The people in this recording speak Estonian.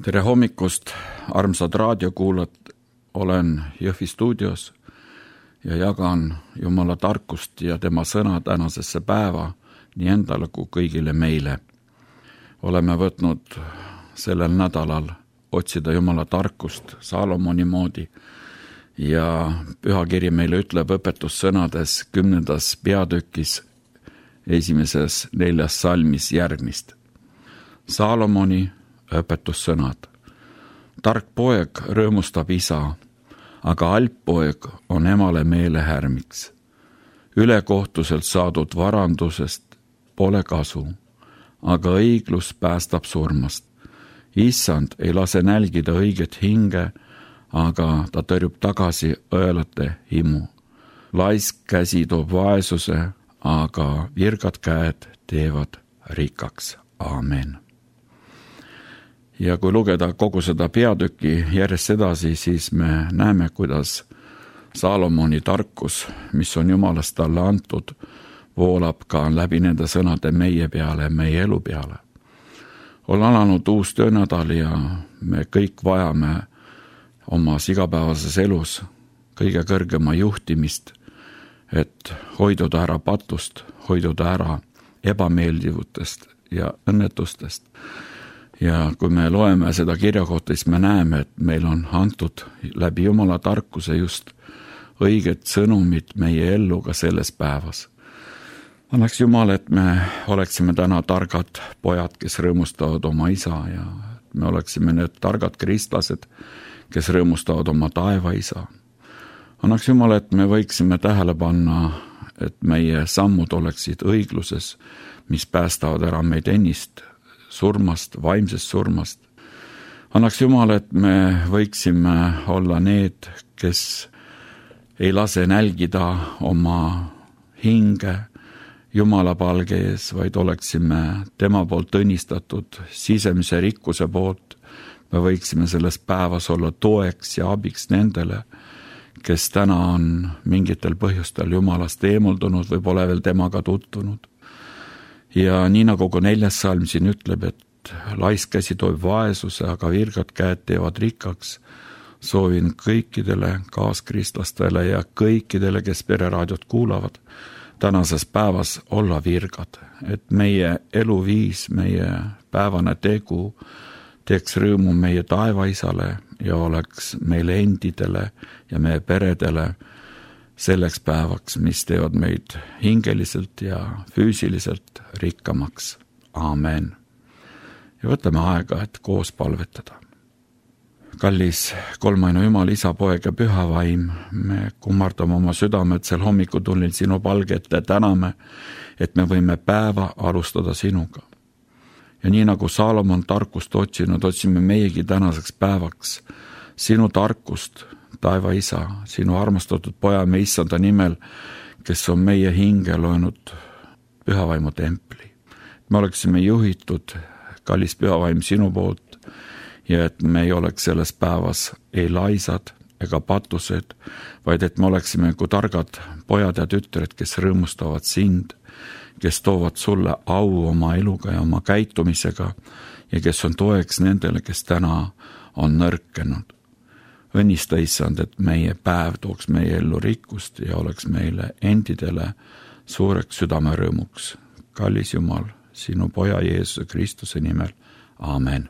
Tere hommikust, armsad raadiokuulajad, olen Jõhvi stuudios ja jagan Jumala tarkust ja tema sõna tänasesse päeva nii endale kui kõigile meile. Oleme võtnud sellel nädalal otsida Jumala tarkust Saalomoni moodi ja pühakiri meile ütleb õpetussõnades 10. peatükis 1. 4. salmis järgmist. Saalomoni õpetussõnad. Tark poeg rõõmustab isa, aga halb poeg on emale meelehärmiks. Ülekohtuselt saadud varandusest pole kasu, aga õiglus päästab surmast. Issand ei lase nälgida õiget hinge, aga ta tõrjub tagasi õelate himu. Laisk käsi toob vaesuse, aga virkad käed teevad rikkaks. Aamen. Ja kui lugeda kogu seda peatüki järjest edasi, siis me näeme, kuidas Saalomoni tarkus, mis on Jumalast talle antud, voolab ka läbi nende sõnade meie peale, meie elu peale. On alanud uus töönädal ja me kõik vajame omas igapäevases elus kõige kõrgema juhtimist, et hoiduda ära patust, hoiduda ära ebameeldivutest ja õnnetustest. Ja kui me loeme seda kirjakohta, siis me näeme, et meil on antud läbi Jumala tarkuse just õiged sõnumid meie ellu ka selles päevas. Annaks Jumal, et me oleksime täna targad pojad, kes rõõmustavad oma isa ja me oleksime need targad kristlased, kes rõõmustavad oma taevaisa. Annaks Jumal, et me võiksime tähele panna, et meie sammud oleksid õigluses, mis päästavad ära meid ennist surmast, vaimsest surmast. Annaks Jumal, et me võiksime olla need, kes ei lase nälgida oma hinge Jumala palge ees, vaid oleksime tema poolt õnnistatud sisemise rikkuse poolt. Me võiksime selles päevas olla toeks ja abiks nendele, kes täna on mingitel põhjustel Jumalast eemuldunud või pole veel temaga tutvunud. Ja nii nagu 4. salm siin ütleb, et laisk käsi toob vaesuse, aga virkad käed teevad rikkaks, soovin kõikidele kaaskristlastele ja kõikidele, kes pereraadiot kuulavad, tänases päevas olla virkad, et meie eluviis, meie päevane tegu teeks rõõmu meie taevaisale ja oleks meile endidele ja meie peredele selleks päevaks, mis teevad meid hingeliselt ja füüsiliselt rikkamaks. Aamen. Ja võtame aega, et koos palvetada. Kallis kolmainu Jumal, isa, poeg ja püha vaim, me kummardame oma südamed sel hommikutunnil sinu palge ette, täname, et me võime päeva alustada sinuga. Ja nii nagu Saalomon tarkust otsinud, otsime meiegi tänaseks päevaks sinu tarkust, taeva isa, sinu armastatud poja me issanda nimel, kes on meie hinge loenud pühavaimu templi. Me oleksime juhitud, kallis pühavaim, sinu poolt ja et me ei oleks selles päevas ei laisad ega patused, vaid et me oleksime kui targad pojad ja tütred, kes rõõmustavad sind, kes toovad sulle au oma eluga ja oma käitumisega ja kes on toeks nendele, kes täna on nõrkenud. Õnnista, issand, et meie päev tooks meie ellu rikkust ja oleks meile endidele suureks südamerõõmuks. Kallis Jumal, sinu poja Jeesuse Kristuse nimel. Aamen.